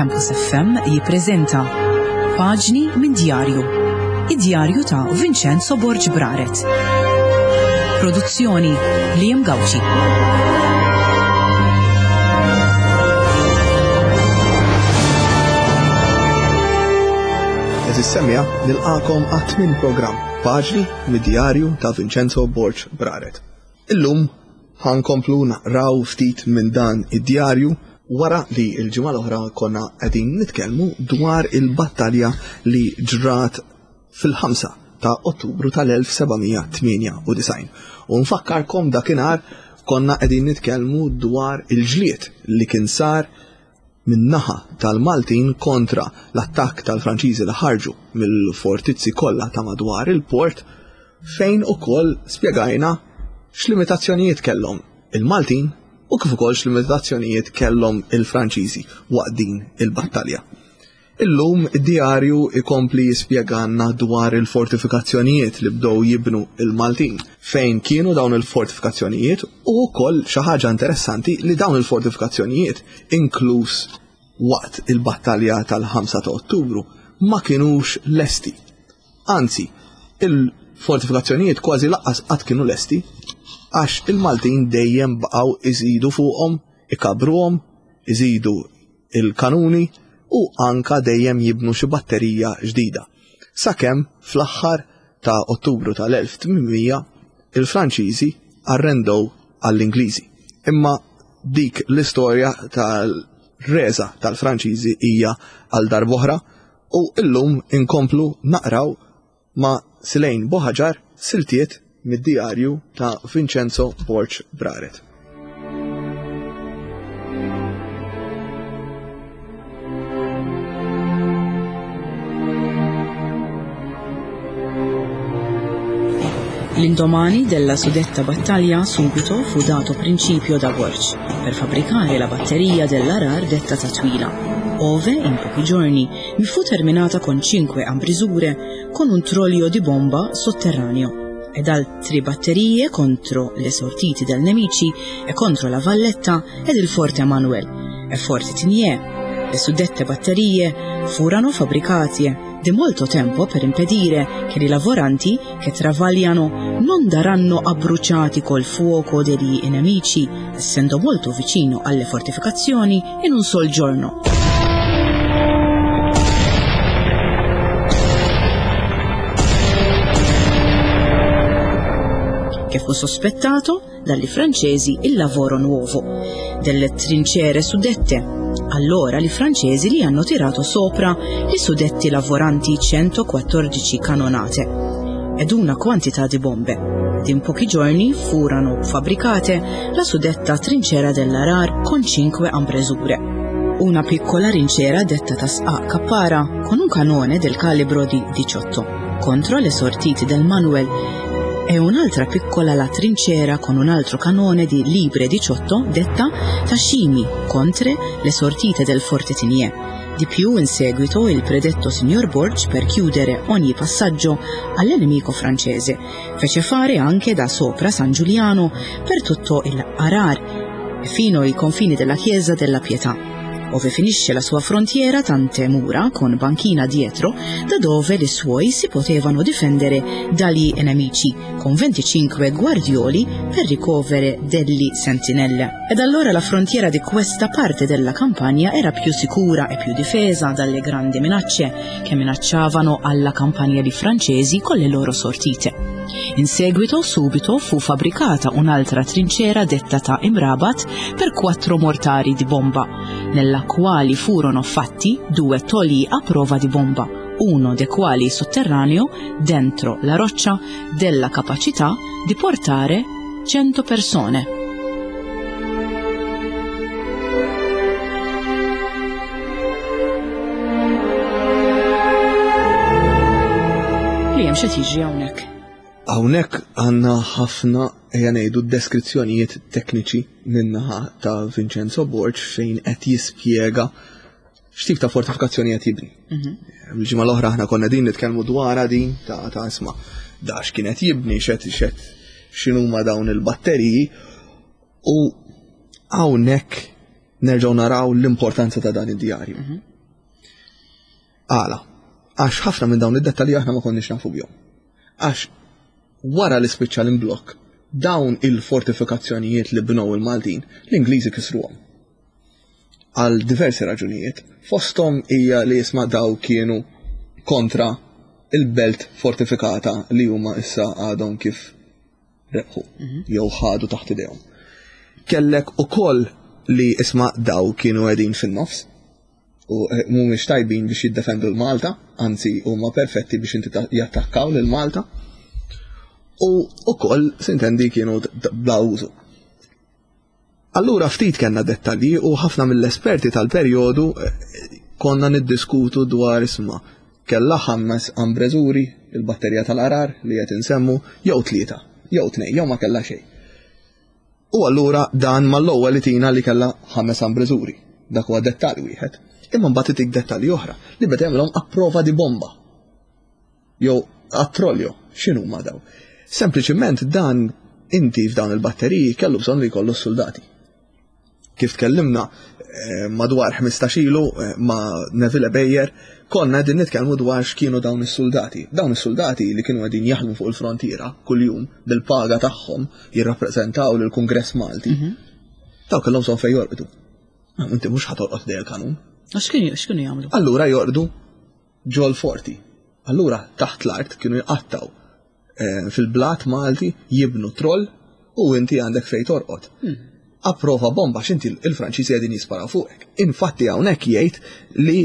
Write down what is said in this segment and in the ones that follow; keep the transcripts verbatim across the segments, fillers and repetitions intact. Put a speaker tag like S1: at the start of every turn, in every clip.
S1: Campus F M jippreżenta Paġni minn Djarju. Id-djarju ta' Vincenzo Borg Braret. Produzzjoni Liam Gauci.
S2: Eżis semja nilqakom għat-tmien programm Paġni mid-djarju ta' Vincenzo Borg Braret. Illum ħankomplu naqraw ftit minn dan id-djarju wara li l-ġimgħa l-oħra konna qegħdin nitkellmu dwar il-battalja li ġrat fil-ħamsa ta' Ottubru tal-elf seba' mija tmienja u disgħin. U nfakkarkom dakinhar konna qegħdin nitkellmu dwar il-ġlied li kien sar min-naħa tal-Maltin kontra l-attakk tal-Franċiżi li ħarġu mill-fortizzi kollha ta' madwar il-port, fejn ukoll spjegajna x'limitazzjonijiet kellhom il-Maltin u kif ukoll x'limitazzjonijiet kellhom il-Franċiżi waqt din il-battalja. Illum id-djarju ikompli jispjegalna dwar il-fortifikazzjonijiet li bdew jibnu il-Maltin, fejn kienu dawn il-fortifikazzjonijiet u wkoll xi ħaġa interessanti li dawn il-fortifikazzjonijiet inkluż waqt il-battalja tal-ħamsa ta' Ottubru ma kinux lesti. Anzi, il-fortifikazzjonijiet kważi lanqas qatt kienu lesti għax il-Maltin dejjem baqgħu iżidu fuqhom, ikabruhom, iżidu il-kanuni u anka dejjem jibnu xi batterija ġdida. Sakemm fl-aħħar ta' Ottubru tal-elf tmien mija il-Franċiżi arrendew għall-Ingliżi. Imma dik l-istorja tal-reża tal-Franċiżi hija għal darb'oħra u illum inkomplu naqraw ma' Silejn Buhagiar siltiet mid-djarju ta' Vincenzo Borg Braret.
S1: L'indomani della suddetta battaglia subito fu dato principio da Borg per fabbricare la batteria dell'Arar detta Tatwila, ove in pochi giorni mi fu terminata con cinque ambrisure con un trollio di bomba sotterraneo ed altre batterie contro le sortite del nemici e contro la Valletta ed il Forte Manuel e Forte Tigné. Le suddette batterie furono fabbricate di molto tempo per impedire che i lavoranti che travagliano non daranno abbruciati col fuoco degli nemici, essendo molto vicino alle fortificazioni in un sol giorno. Che fu sospettato dagli francesi il lavoro nuovo delle trincere suddette. Allora i francesi li hanno tirato sopra i suddetti lavoranti centoquattordici canonate ed una quantità di bombe. Ed in pochi giorni furono fabbricate la suddetta trincera dell'Arar con cinque ambresure. Una piccola trincera detta Tasqa Cappara con un canone del calibro di diciotto contro le sortite del Manuel e un'altra piccola la trincera con un altro canone di libre diciotto detta Tashimi contro le sortite del Forte Tigné. Di più in seguito il predetto signor Borg, per chiudere ogni passaggio all'nemico francese, fece fare anche da sopra San Giuliano per tutto il Arar e fino ai confini della chiesa della Pietà, ove finisce la sua frontiera tante mura con banchina dietro, da dove le suoi si potevano difendere dagli nemici, con venticinque guardioli per ricovere degli sentinelle. Ed allora la frontiera di questa parte della campagna era più sicura e più difesa dalle grandi minacce che minacciavano alla campagna di francesi con le loro sortite. In seguito subito fu fabbricata un'altra trincera detta ta' Imrabat per quattro mortari di bomba, nella quali furono fatti due toli a prova di bomba, uno dei quali sotterraneo dentro la roccia della capacità di portare cento persone. Li hemm xi tiġri hawnhekk?
S2: Hawnhekk għandna ħafna, ejja ngħidu, deskrizzjonijiet tekniċi min-naħa ta' Vincenzo Borg fejn qed jispjega x'tip ta' fortifikazzjoni qed jibni.
S1: Mhm.
S2: Il-ġimgħa l-oħra aħna konna din nitkellmu dwarha din ta', ta' isma' da x'kien qed jibni, x'qed, x'qed, x'inhuma dawn il-batteriji, u hawnhekk nerġgħu naraw l-importanza ta' dan id-djarju.
S1: Mhm.
S2: Għala, għax ħafna minn dawn id-dettalji aħna ma konniex nafu bihom. Għax wara li spiċċa l-imblokk, dawn il-fortifikazzjonijiet li bnew il-Maltin, l-Ingliżi kisruhom. Għal diversi raġunijiet, fosthom hija li jisma' daw kienu kontra il-belt fortifikata li huma issa għadhom kif rebħu jew ħadu taħt idejhom. Kellek ukoll li isma' daw kienu qegħdin fin-nofs u eh, mhumiex tajbin biex jiddefendu l-Malta, anzi huma perfetti biex inti ta- jattakkaw lil Malta. U ukoll sintendi kienu d- bla użu. Allura ftit kellna dettalji u ħafna mill-esperti tal-perjodu eh, konna niddiskutu dwar isma' kella ħames ambreżuri, il-batterija tal-Għargħar li qed insemmu, jew tlieta, jew tnejn, jew ma kellha xejn. U allura dan mal-ewwel li tina li kellha ħames ambreżuri. Dak huwa dettall wieħed. Imma mbagħad itik dettalji oħra li beda jagħmilhom a prova di bomba. Jew a trollio, x'inhuma daw? Sempliċiment dan inti f'dawn il-batteriji kellu bżonn li jkollu s-soldati. Kif tkellimna eh, madwar ħmistax ilu eh, ma' Neville Beyer, konna qegħdin nitkellmu dwar x'kienu dawn is-soldati. Dawn is-soldati li kienu qegħdin jaħdmu fuq il-frontiera kuljum bil-paga tagħhom jirrappreżentaw lill-Kungress Malti. Daw kellhom bżonn fejn jorqdu. Ah, inti mhux ħa torqod ħdejn il-kanun.
S1: X'kienu x'kienu jagħmlu?
S2: Allura jorqdu ġol forti. Allura taħt l-art kienu jqattaw eh, fil-blat Malti jibnu troll u inti għandek fejn torqod. A prova bomba x'inti il-Franċiżi qegħdin jisparaw fuqek. Infatti hawnhekk jgħid li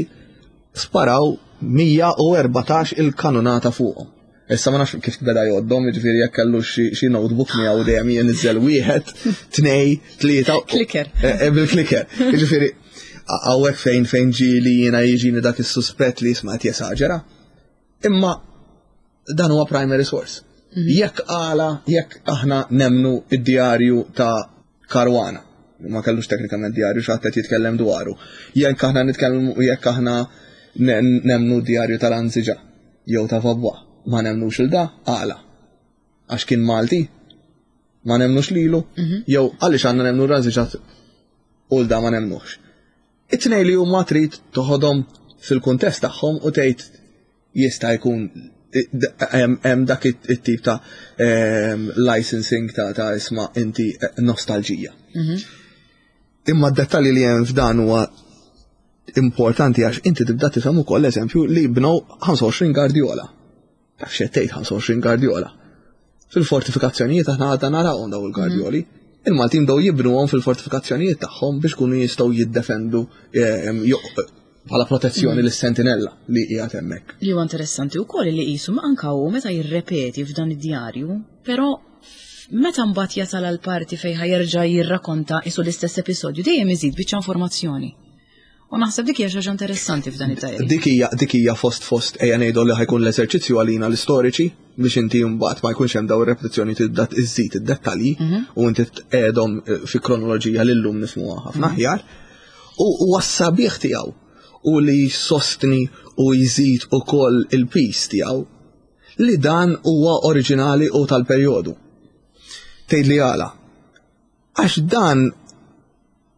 S2: sparaw mija u erbatax il-kanonata fuqhom. Issa ma nafx kif beda jgħoddhom, jiġifieri jekk kellu xi xi notebook miegħu dejjem jinżel wieħed, tnej, tlieta.
S1: Clicker.
S2: Eh, eh, Bil-clicker. Jiġifieri hawnhekk fejn fejn ġieli jiena jiġini dak is-suspett li jisma' qed jesaġera. Imma dan huwa primary source. Jekk għala, jekk aħna nemnu id-djarju ta' Caruana, ma kellux teknikament djarju x'ħadd qed jitkellem dwaru. Jekk aħna nitkellmu, jekk aħna ne- nemnu d-djarju tal-Anziġa jew ta' Vaubois, ma nemnux il da, għala. Għax kien Malti, ma nemnux lilu, jew għaliex għandna nemnu l-Anziġa u l-da ma nemnux. It-tnej li huma trid toħodhom fil-kuntest tagħhom u tgħid jista' jkun hemm hemm dak it-tip ta' em, licensing ta' ta' isma' inti eh, nostalġija. Imma d-dettalji li hemm f'dan huwa importanti għax inti tibda tifhem ukoll eżempju li bnew ħamsa u għoxrin gardiola. Taf x'qed tgħid ħamsa u għoxrin gardiola? Fil-fortifikazzjonijiet aħna għadna narawhom daw il-gardjoli. Il-Maltin bdew jibnuhom fil-fortifikazzjonijiet tagħhom biex kunu jistgħu jiddefendu em, jo- bħala protezzjoni lis-sentinella li qiegħed hemmhekk.
S1: Li huwa interessanti wkoll li qisu ma anka hu meta jirrepeti f'dan id-djarju, però meta mbagħad jasal għal parti fejn ħajerġa' jirrakonta isu l-istess episodju dejjem iżid biċċa informazzjoni. U naħseb dik hija xi ħaġa interessanti f'dan id-djarju.
S2: Dik hija dik hija fost fost ejja ngħidu li ħa jkun l-eżerċizzju għalina l-istoriċi biex inti mbagħad ma jkunx hemm daw ir-repetizzjoni tibda iżżid id-dettalji u inti tqegħdhom eh, fi kronoloġija li llum nifhmuha ħafna aħjar. U huwa s-sabiħ tiegħu u li jsostni u jżid ukoll il-piż tiegħu li dan huwa oriġinali u tal-perjodu. Tgħid li għala. Għax dan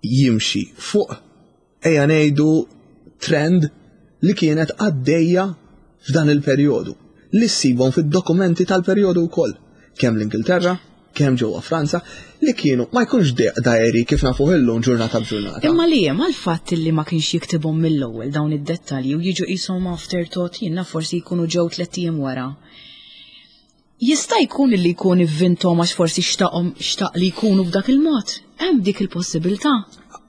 S2: jimxi fuq ejja ngħidu trend li kienet għaddejja f'dan il-perjodu li ssibhom fid-dokumenti tal-perjodu wkoll. Kemm l-Ingilterra, kemm ġewwa Franza, li kienu ma jkunx diary kif nafu illum ġurnata b'ġurnata.
S1: Imma li hemm għal-fatt li ma kienx jiktibhom mill-ewwel dawn id-dettalji u jiġu qishom afterthought jiena forsi jkunu ġew tliet ijiem wara. Jista' jkun li jkun ivvinthom għax forsi xtaqhom xtaq li jkunu b'dak il-mod. Hemm dik il-possibilità.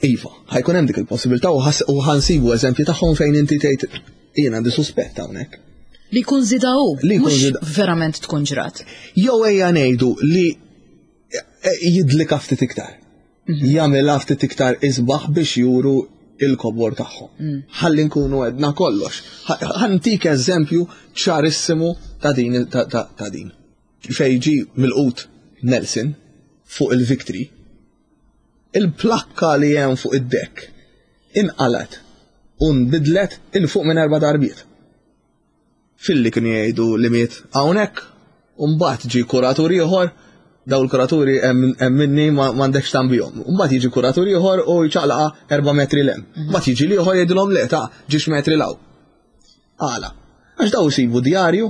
S2: Iva, ħa jkun hemm dik il-possibilità u ħas- u ħa nsibu eżempji tagħhom fejn inti tgħid jien għandi suspett hawnhekk.
S1: Li jkun żida hu,
S2: Li jkun
S1: mhux
S2: żida-
S1: verament tkun ġrat.
S2: Jew ejja ngħidu li eh, jidlika ftit iktar. Jagħmilha ftit iktar isbaħ biex juru il-kobor tagħhom. Ħalli nkunu għedna kollox. Ħa ntik eżempju ċarissimu ta' din ta' ta' ta' din. Fej ġi milqut Nelson fuq il-Victory, il-plakka li hemm fuq id-deck inqalat u nbidlet 'il fuq minn erba' darbiet. Filli kienu jgħidu li miet hawnhekk, u mbagħad ġi kuratur ieħor, daw il-kuraturi hemm hemm minni ma m'għandekx tambihom. U mbagħad jiġi kuratur ieħor u jċaqlaqa erba' metri 'l hemm. Mbagħad jiġi l-ieħor jgħidilhom le ta' ġiex metri 'l hawn. Għala. Għax daw isibu djarju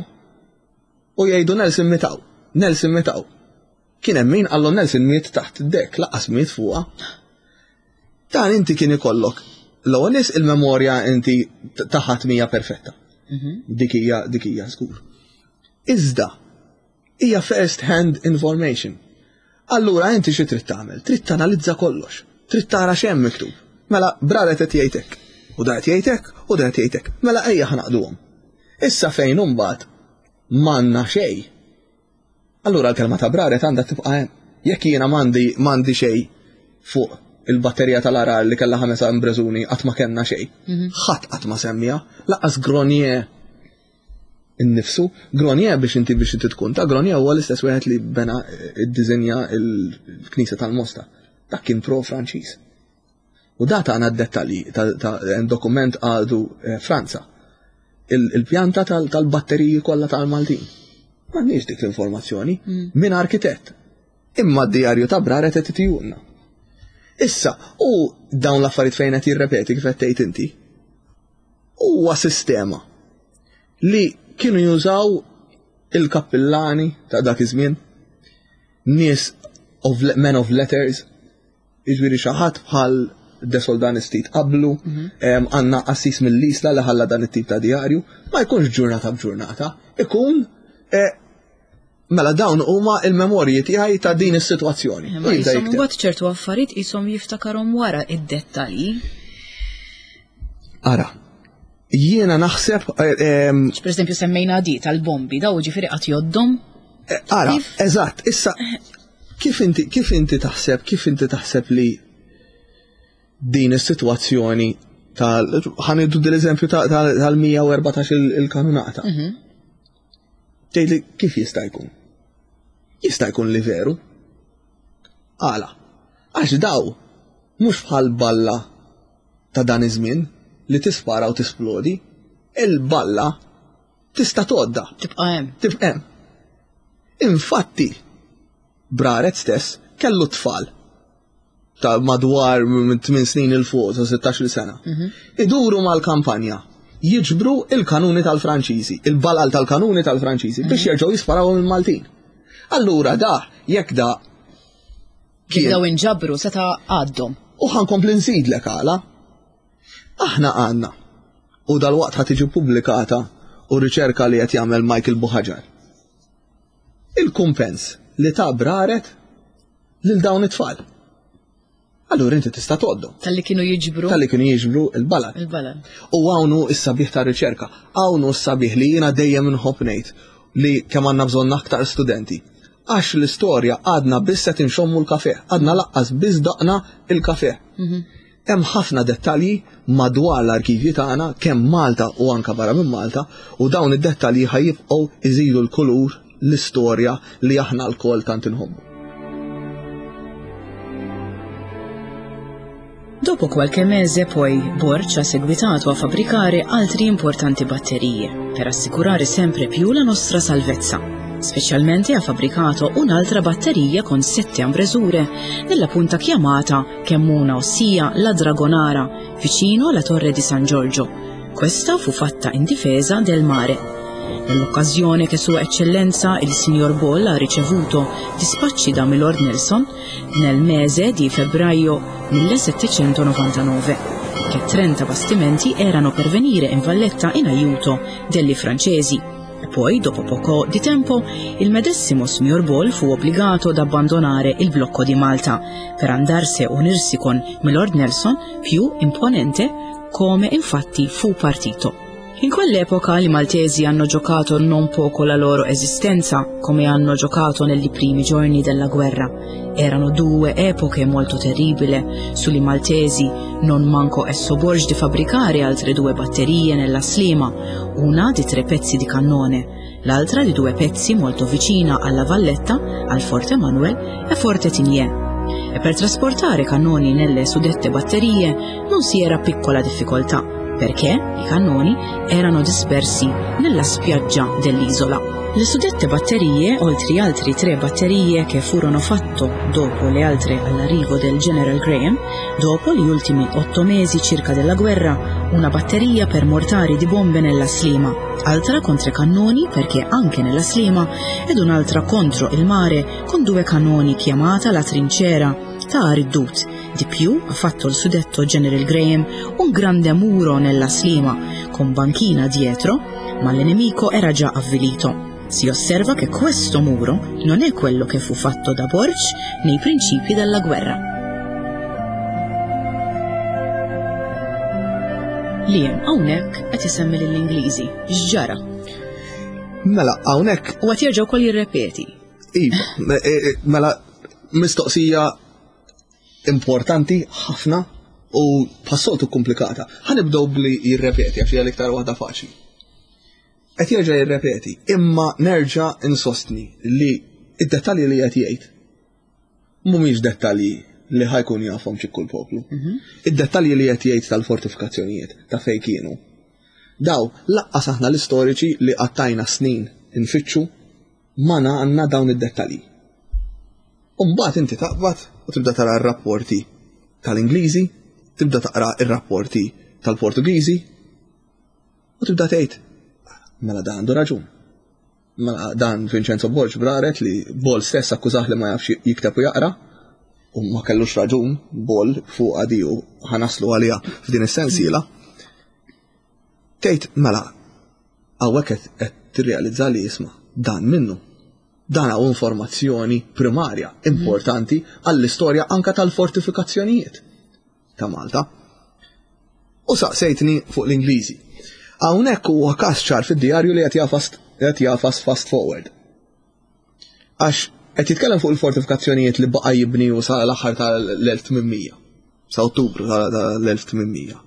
S2: u jgħidu Nelson miet hawn, Nelson miet hawn. Kien hemm min qallu Nelson miet taħt id-dek, lanqas miet fuqha. Dan inti kien ikollok l-ewwel nies il-memorja inti taħat mija perfetta. Dik hija dik hija żgur. Iżda hija first hand information. Allura inti xi trid tagħmel? Trid tanalizza kollox. Trid tara x'hemm miktub. Mela Braret qed jgħid hekk, u da qed jgħid hekk, u da qed jgħid hekk. Mela ejja ħa ngħaqqduhom. Issa fejn imbagħad m'għandna xejn. Allura l-kelma ta' Braret għandha tibqa' hemm. Jekk jiena m'għandi m'għandi xejn fuq il-batterija tal-Għargħar li kellha ħames imbreżuni qatt ma kellna xejn. Ħadd qatt ma semmija, lanqas Gronier innifsu. Gronier biex inti biex inti tkun ta' Gronier huwa l-istess wieħed li bena id-diżinja il-Knisja tal-Mosta. Dak kien pro-Franċiż. U da tagħna d-dettalji ta' dokument għadu eh, Franza. Il-pjanta tal-batteriji kollha tal-Maltin. M'għandniex dik l-informazzjoni minn arkitett. Imma d-djarju ta' Braret qed itihulna. Issa, u dawn l-affarijiet fejn qed jirrepeti kif qed tgħid inti, huwa sistema li kienu jużaw il-kappillani ta' dak iż-żmien, nies of men of letters, jiġifieri xi ħadd bħal De Soldanis ftit qablu, għandna qassis mill-Isla li ħalla dan it-tip ta' djarju, ma jkunx ġurnata b'ġurnata, ikun eh, mela dawn huma il-memorji tiegħi ta' din is-sitwazzjoni.
S1: Ma jisom mbagħad ċertu affarijiet qishom jiftakarhom wara id-dettalji.
S2: Ara, jiena naħseb.
S1: Per eżempju semmejna di tal-bombi, daw ġifieri qatt joddhom.
S2: Eh, ara, eżatt, issa kif inti kif inti taħseb, kif inti taħseb li din is-sitwazzjoni tal ħa nieħdu l-eżempju tal-mija u erbatax il-kanunata. Mhm. Tgħidli kif jista' jkun? Jista' jkun li veru. Għala, għax daw mhux bħal balla ta' dan iż-żmien li tispara u tisplodi, il-balla tista' tgħoddha.
S1: Tibqa' hemm.
S2: Tibqa' hemm. Infatti, Braret stess kellu tfal ta' madwar minn tmien snin 'il fuq ta' sittax-il sena. Mhm. Iduru mal-kampanja, jiġbru il-kanuni tal-Franċiżi, il-balal tal-kanuni tal-Franċiżi biex mhm. jerġgħu jisparaw il-Maltin. Allura da, jekk da
S1: kien. Daw inġabru seta' għaddhom.
S2: U ħa nkompli nżidlek għala. Aħna għandna u dal-waqt ħa tiġi pubblikata u riċerka li qed jagħmel Michael Buhagiar. Il-kumpens li ta Braret lil dawn it-tfal. Allura inti tista' tgħoddhom.
S1: Talli kienu jiġbru.
S2: Talli kienu jiġbru il-balal.
S1: Il-balal.
S2: U hawn hu s-sabiħ ta' riċerka, hawn hu s-sabiħ li jiena dejjem inħobb ngħid li kemm għandna bżonn aktar studenti. Għax l-istorja għadna biss qed inxommu l-kafe, għadna lanqas biss doqna il-kafe. Mhm. Hemm ħafna dettalji madwar l-arkivji tagħna kemm Malta u anka barra minn Malta u dawn id-dettalji ħa jibqgħu iżidu l-kulur l-istorja li aħna lkoll tant inħobbu.
S1: Dopo qualche mese poi Borg ha seguitato a fabbricare altre importanti batterie per assicurare sempre più la nostra salvezza. Specialmente ha fabbricato un'altra batteria con sette ambresure nella punta chiamata Kemmuna, ossia la Dragonara, vicino alla torre di San Giorgio. Questa fu fatta in difesa del mare. Nell'occasione che Sua Eccellenza il signor Ball ha ricevuto dispacci da Milord Nelson nel mese di febbraio millesettecentonovantanove, che trenta bastimenti erano per venire in Valletta in aiuto degli francesi. E poi, dopo poco di tempo, il medesimo signor Ball fu obbligato ad abbandonare il blocco di Malta per andarsi a unirsi con Milord Nelson più imponente, come infatti fu partito. In quell'epoca i maltesi hanno giocato non poco la loro esistenza, come hanno giocato negli primi giorni della guerra. Erano due epoche molto terribili. Sugli maltesi non mancò esso Borg di fabbricare altre due batterie nella Sliema, una di tre pezzi di cannone, l'altra di due pezzi molto vicina alla Valletta, al Forte Manuel e Forte Tigné. E per trasportare cannoni nelle suddette batterie non si era piccola difficoltà. perché i cannoni erano dispersi nella spiaggia dell'isola. Le suddette batterie, oltre altri tre batterie che furono fatte dopo le altre all'arrivo del General Graham, dopo gli ultimi otto mesi circa della guerra, una batteria per mortari di bombe nella Sliema, altra contro i cannoni perché anche nella Sliema, ed un'altra contro il mare con due cannoni chiamata la trincera ta' Riddut. Di più ha fatto il suddetto General Graham un grande muro nella Sliema con banchina dietro, ma l'nemico era già avvilito. Si osserva che questo muro non è quello che fu fatto da Borg nei principi della guerra. Liam, hawnhekk qed isemmi lill-Ingliżi. X'ġara?
S2: Mela, hawnhekk
S1: U qed jerġa' wkoll jirrepeti.
S2: Iva, mela mistoqsija importanti ħafna u bħas-soltu komplikata. Ħa nibdew bli jirrepeti għax hija l-iktar waħda faċli. Qed jerġa' jirrepeti, imma nerġa' insostni li id-dettalji li qed jgħid mhumiex dettalji li ħajkun jafhom xi kull poplu. Id-dettalji li qed jgħid tal-fortifikazzjonijiet ta' fejn kienu. Daw laqqas aħna l-istoriċi li qattajna snin infittxu ma għandna dawn id-dettalji. U mbagħad inti taqbad u tibda tara r-rapporti tal-Ingliżi, tibda taqra r-rapporti tal-Portugiżi u tibda tgħid mela dan għandu raġun. Mela dan Vincenzo Borg Braret li Bol stess akkużah li ma jafx jikteb u jaqra u ma kellux raġun Bol fuq għadi u ħanaslu għalija f'din is-sensiela. Tgħid mela hawnhekk qed tirrealizza li jisma' dan minnu. Dan hawn informazzjoni primarja importanti għall-istorja anka tal-fortifikazzjonijiet ta' Malta. U saqsejtni fuq l-Ingliżi. Hawnhekk huwa każ ċar fid-djarju li qed jafas qed jafas fast forward. Għax qed jitkellem fuq il-fortifikazzjonijiet li baqa' jibni u sa l-aħħar tal-elf tmien mija, sa Ottubru tal-elf tmien mija.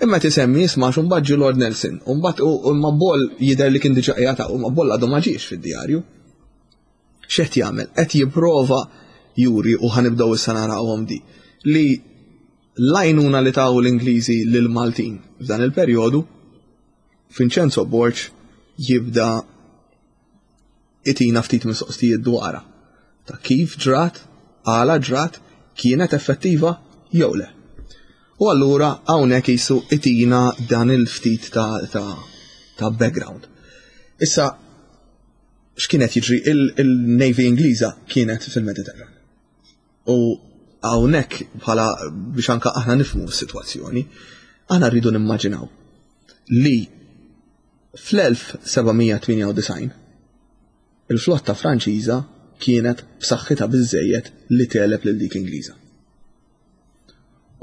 S2: Imma tisemmi jisma' xi mbagħad ġie Lord Nelson, u mbagħad u ma Bol jidher li kien diġà qiegħed u ma Bol għadu ma ġiex fid-djarju. X'qed jagħmel? Qed jipprova juri u ħanibdew issa narawhom di li l-għajnuna li taw l-Ingliżi lill-Maltin f'dan il-perjodu Vincenzo Borg jibda itina ftit mistoqsijiet dwarha ta' kif ġrat, għala ġrat, kienet effettiva jew le. U allura hawnhekk jisu itina dan il-ftit ta', ta, ta' background. Issa, x'kienet jiġri? Il-Navy Ingliża kienet fil-Mediterran. U hawnhekk bħala biex anka aħna nifhmu s-sitwazzjoni, aħna rridu nimmaġinaw li fl-elf seba' mija tmienja u disgħin il-flotta Franċiża kienet b'saħħitha biżżejjed li teleb lil dik Ingliża.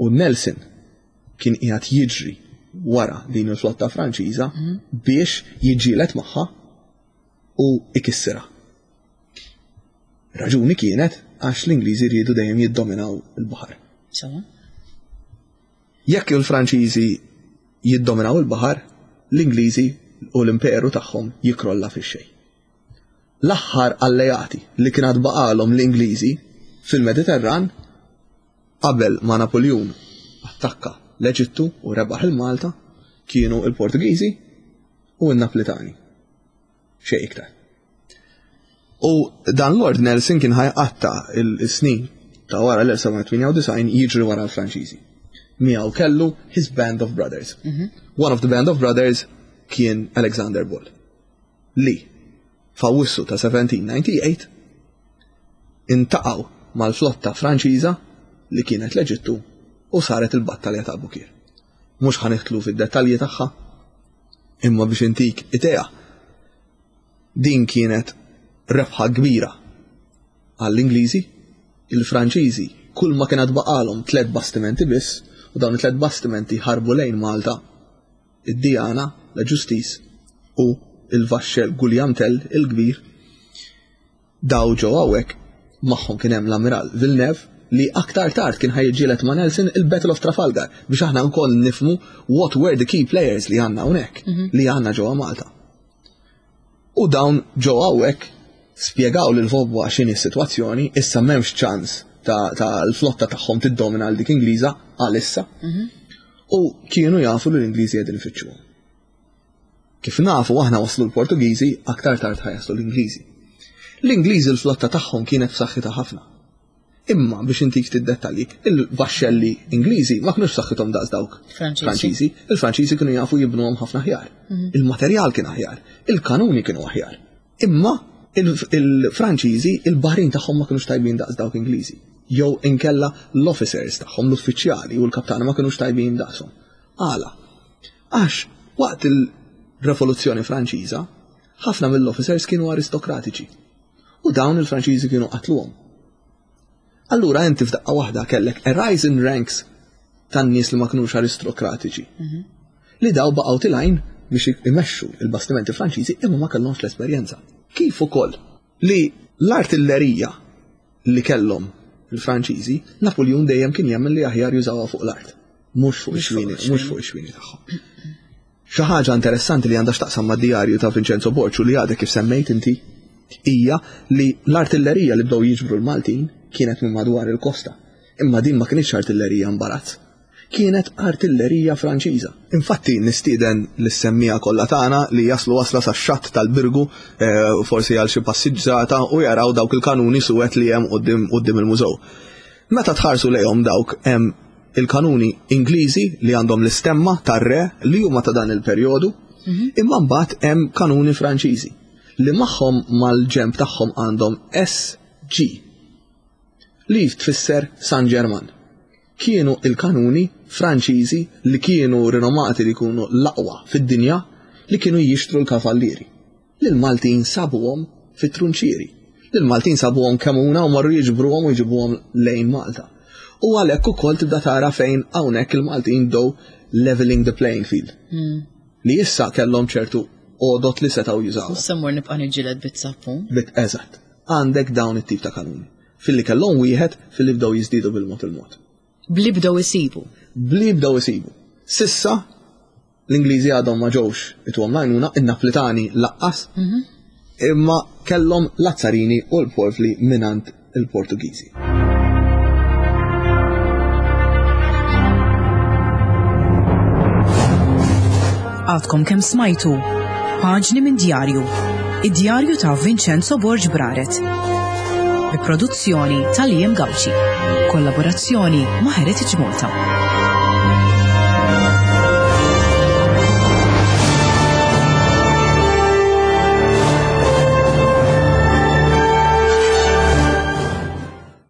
S2: U Nelson kien qiegħed jiġri wara din il-flotta Franċiża biex jiġġieled magħha u ikissirha. Raġuni kienet għax l-Ingliżi riedu dejjem jiddominaw il-baħar.
S1: Sewa.
S2: Jekk il-Franċiżi jiddominaw il-baħar, l-Ingliżi u l-imperu tagħhom jikrolla fix-xejn. L-aħħar alleati li kien għad baqalhom l-Ingliżi fil-Mediterran qabel ma Napoleon attakka l-Eġittu u rebaħ il-Malta kienu il-Portugiżi u n-Naplitani. Xejn iktar. U dan Lord Nelson kien ħajqatta il-snin ta' wara l-elf seba' mija tmienja u disgħin jiġri wara l-Franċiżi. Miegħu kellu his band of brothers.
S1: Mhm.
S2: One of the band of brothers kien Alexander Ball, li f'Awwissu ta' seventeen ninety-eight intaqgħu mal-flotta Franċiża li kienet l-Eġittu u saret il-battalja ta' Abukir. Mhux ħanidħlu fid-dettalji tagħha, imma biex intik idea, din kienet rebħa kbira għall-Ingliżi. Il-Franċiżi kull ma kienet baqalhom tliet bastimenti biss, u dawn it-tliet bastimenti ħarbu lejn Malta, id-Diana, la Justice u il-vaxxel Guillaume Tell il-kbir. Daw ġew hawnhekk, magħhom kien hemm l-Amiral Villeneuve li aktar tard kien ħajġielet ma' Nelson il-Battle of Trafalgar biex aħna wkoll nifhmu what were the key players li għandna hawnhekk,
S1: Mhm.
S2: li għandna ġewwa Malta. U dawn ġew hawnhekk spjegaw lil Vaubois x'inhi s-sitwazzjoni, issa m'hemmx ċans ta', ta' l-flotta tagħhom tiddomina għal dik Ingliża għalissa.
S1: Mhm.
S2: U kienu jafu li l-Ingliżi qegħdin ifittxuhom. Kif nafu aħna waslu l-Portugiżi, aktar tard ħa jaslu l-Ingliżi. L-Ingliżi l-flotta tagħhom kienet b'saħħitha ħafna. Imma biex intik ftit dettalji, il-vaxxelli Ingliżi ma kinux b'saħħithom daqs dawk Franċiżi. Il-Franċiżi kienu jafu jibnuhom ħafna aħjar. Il-materjal kien aħjar, il-kanuni kienu aħjar. Imma il-Franċiżi il-baħrin tagħhom ma kinux tajbin daqs dawk Ingliżi. Jew inkella l-officers tagħhom, l-uffiċjali u l-kaptani ma kinux tajbin daqshom. Għala? Għax waqt il-Revoluzzjoni Franċiża, ħafna mill-officers kienu aristokratiċi. U dawn il-Franċiżi kienu qatluhom. Allura inti f'daqqa waħda kellek a rise in ranks tan-nies li ma kinux aristokratiċi. Li daw baqgħu tilgħin biex imexxu il-bastimenti Franċiżi imma ma kellhomx l-esperjenza. Kif ukoll li l-artillerija li kellhom il-Franċiżi, Napoleon dejjem kien jemmen li aħjar jużawha fuq l-art, mhux fuq ix-xwieni, mhux fuq ix-xwieni tagħhom. Xi ħaġa interessanti li għandha x'taqsam mad-djarju ta' Vincenzo Borg u li għadek kif semmejt inti hija li l-artillerija li bdew jiġbru l-Maltin kienet minn madwar il-kosta. Imma din ma kienx artillerija imbarazz. Kienet artillerija Franċiża. Infatti nistieden lis-semmiegħa kollha tagħna li jaslu wasla sax-xatt tal-Birgu, eh, forsi għal xi passiġġata u jaraw dawk il-kanuni suwed li hemm quddiem il-mużew. Meta tħarsu lejhom dawk hemm il-kanuni Ingliżi li għandhom l-istemma tar-re li huma ta' dan il-perjodu, imma mbagħad hemm kanuni Franċiżi li magħhom mal-ġemp tagħhom għandhom S G li tfisser San Ġerman. Kienu il-kanuni Franċiżi li kienu rinomati li jkunu l-aqwa fid-dinja li kienu jixtru l-kavallieri. L-Maltin sabuhom fit-trunċieri. L-Maltin sabuhom Kemmuna u marru jiġbruhom u jġibuhom lejn Malta. U għalhekk ukoll tibda tara fejn hawnhekk il-Maltin bdew leveling the playing field. Li issa kellhom ċertu għodot li setgħu jużaw.
S1: U semmur nibqa' niġġieled bit-sappun.
S2: Bit eżatt. Għandek dawn it-tip ta' kanuni. Filli kellhom wieħed, filli bdew jiżdiedu bil-mod il-mod.
S1: Bli bdew isibu.
S2: Bli bdew isibu. S'issa l-Ingliżi għadhom ma ġewx ituhom l-għajnuna, in-Naplitani lanqas, imma kellhom l-azzarini u l-porfli mingħand il-Portugiżi.
S1: Għadkom kemm smajtu Paġni minn djarju. Id-djarju ta' Vincenzo Borg Braret. Bi produzzjoni ta' Liam Gauci. Kollaborazzjoni ma' Heritage Malta.